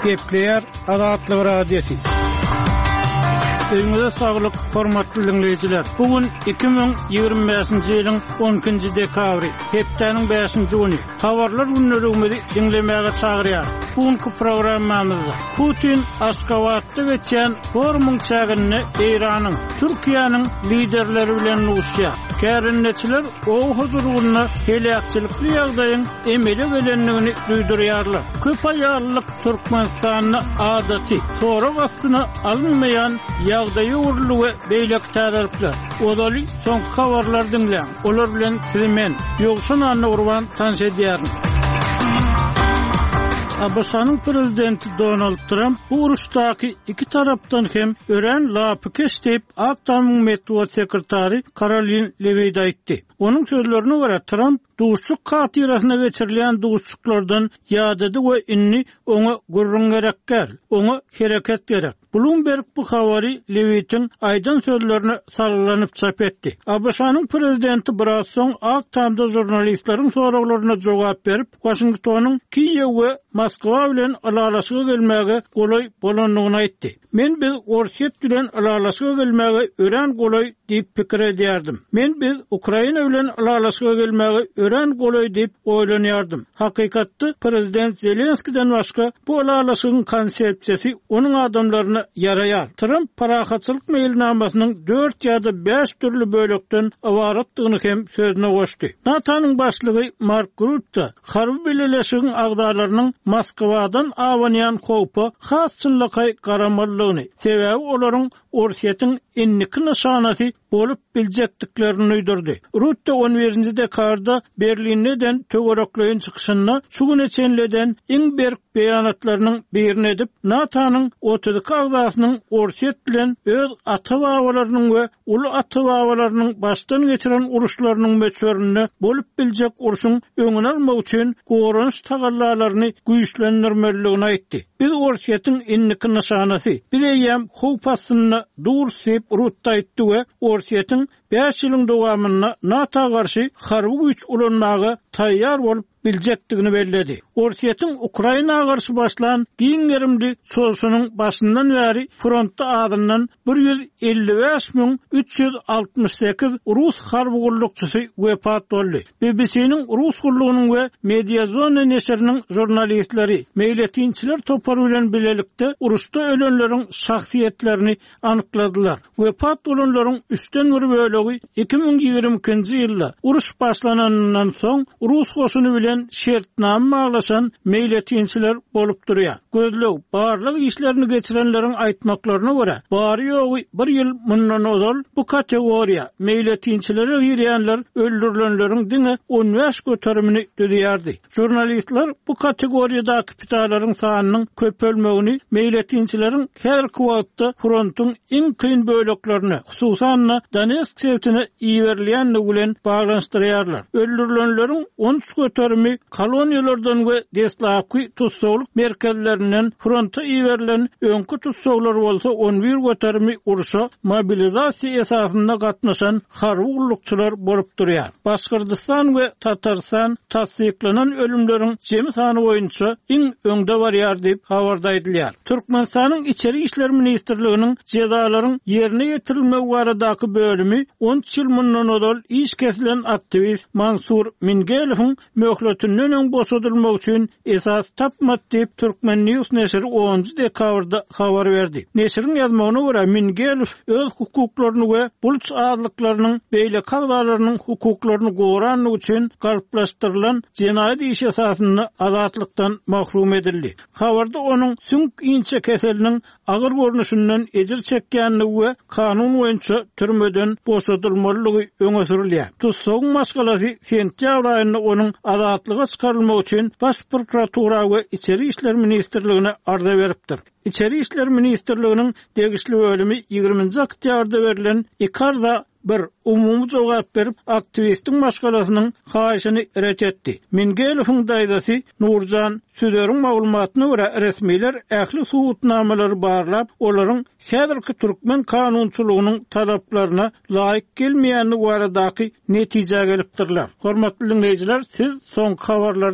Gepleýär Azatlyk Radiosy. Öýüňize saglyk, hormatly diňleýjiler! Bu gün 2025-nji ýylyň 12-nji dekabry, hepdäniň bäşinji güni. Habarlar gündeligimizi diňlemäge çagyrýarys. Bu günki programmamyzda Putin Aşgabatda geçýän forumyň çäginde Eýranyň, Türkiýäniň liderleri bilen duşýar. Kärendeçiler oba hojalygynda heläkçilikli ýagdaýyň emele gelendigini duýdurýarlar. Köp aýallylyk Türkmenistanda adaty, sorag astyna alynmaýan ýagdaýa öwrüldi we beýleki täzelikler. Ozaly soňky habarlary diňläň. Olar bilen sizi men, Ýowşan Annagurban tanyş edýärin. ABŞ-nyň prezidenti Donald Tramp bu uruşdaky iki tarapdan hem örän lapykeç diýip, Ak Tamyň metbugat sekretary Karolin Lewitt aýtdy. Onuň sözlerine görä, Tramp duşuşyk hatyrasyna geçirilýän duşuşyklardan ýadady we indi oňa gürrüň gerek däl, oňa hereket gerek. Bloomberg bu habary Lewittiň aýdan sözlerine salgylanyp çap etdi. ABŞ-nyň prezidenti biraz soň Ak Tamda žurnalistleriň soraglaryna jogap berip, Waşingtonyň Kiýew we Moskwa bilen ylalaşyga gelmäge golaý bolandygyny aýtdy. Men biz Orsýet bilen ylalaşyga gelmäge örän golaý diýip pikir edýärdim. Men biz Ukraina bilen ylalaşyga gelmäge örän golaý diýip oýlanýardym. Hakykatda, prezident Zelenskiden başga bu ylalaşygyň konsepsiýasy onuň adamlaryna ýaraýar. Tramp parahatçylyk meýilnamasynyň dört ýa-da bäş dürli bölekden ybaratdygyny hem sözüne goşdy. NATO-nyň başlygy Mark Rutte harby bileleşigiň agzalarynyň Moskwadan abanýan howpa has çynlakaý garamalydygyny, sebäbi olaryň Orsýetiň indiki nyşanasy bolup biljekdiklerini duýdurdy. Rutte on birinji dekabrda Berlinde eden töwerekleýin çykyşynda şu güne çenli eden iň berk beýanatlarynyň birini edip, NATO-nyň 32 agzasynyň Orsýet bilen öz ata-babalarynyň we uly ata-babalarynyň başdan geçiren uruşlarynyň möçberinde bolup biljek urşuň öňüni almak üçin goranyş tagallalaryny güýçlendirmelidigini aýtdy. Biz Orsýetiň indiki nyşanasy. Biz eýýäm howp astynda durus diýip, Rutte aýtdy we Orsýetiň bäş ýylyň dowamynda NATO garşy harby güýç ulanmaga taýýar bolup biljekdigini belledi. Orsýetiň Ukraina garşy başlan giň gerimli çozuşynyň başyndan bäri frontda azyndan 155 368 rus harby gullukçysy wepat boldy. BBC-niň Rus gullugynyň we Mediazona neşiriniň žurnalistleri meýletinçiler topary bilen bilelikde uruşda ölenleriň şahsyýetlerini anykladylar. Wepat bolanlaryň üçden bir bölegi 2022-nji ýylda uruş başlananyndan soň rus goşuny bilen şertnama baglaşan meýletinçiler bolup durýar. Gözleg, barlag işlerini geçirenleriň aýtmaklaryna görä, bary-ýogy bir ýyl mundan ozal bu kategoriýa, meýletinçilere girýänler öldürilenleriň diňe 15 göterimini düzýärdi. Žurnalistler bu kategoriýadaky pidalaryň sanynyň köpelmegini meýletinçileriň häzirki wagtda frontuň iň kyn böleklerine, hususan-da, Donetsk sebitine iberilýändigi bilen baglanyşdyrýarlar. Öldürilenleriň 13 göterimi koloniýalardan we deslapky tussaglyk merkezlerinden fronta iberilen öňki tussaglar bolsa 11 göterimi urşa mobilizasiýa esasynda gatnaşan harby gullukçylar bolup durýar. Başgyrdystan we Tatarystan tassyklanan ölümleriň jemi sany boýunça iň öňde barýar diýip, habarda aýdylýar. Türkmenistanyň Içeri işler ministrliginiň jezalaryň ýerine ýetirilmegi baradaky bölümi on üç ýyl mundan ozal iş kesilen aktiwist Mansur Mingelowyň möhletinden öň boşadylmagy üçin esas tapmady diýip, Turkmen. News neşiri onunjy dekabrda habar berdi. Neşiriň ýazmagyna görä, Mingelow öz hukuklaryny we buluç azlyklarynyň beýleki agzalarynyň hukuklaryny gorandygy üçin galplaşdyrylan jenaýat işi esasynda azatlykdan mahrum edildi. Habarda onuň süňk inçekeseliniň agyr görnüşinden ejir çekýändigi we kanun boýunça türmeden boşadylmalydygy öňe sürülýär. Tussagyň maşgalasy sentýabr aýynda onuň azatlyga çykarylmagy üçin Baş prokuratura we Içeri işler ministrligine arza beripdir. Içeri işler ministrliginiň degişli bölümi ýigriminji oktýabrda berlen iki arza Bir umumy jogap berip, aktiwistiň maşgalasynyň haýyşyny ret etdi. Mingelowyň daýzasy Nurjan Süzeriň maglumatyna görä, resmiler ähli subutnamalary barlap, olaryň häzirki türkmen kanunçylygynyň talaplaryna laýyk gelmeýändigi baradaky netijä gelipdirler. Hormatly diňleýjiler, siz soňky habarlary.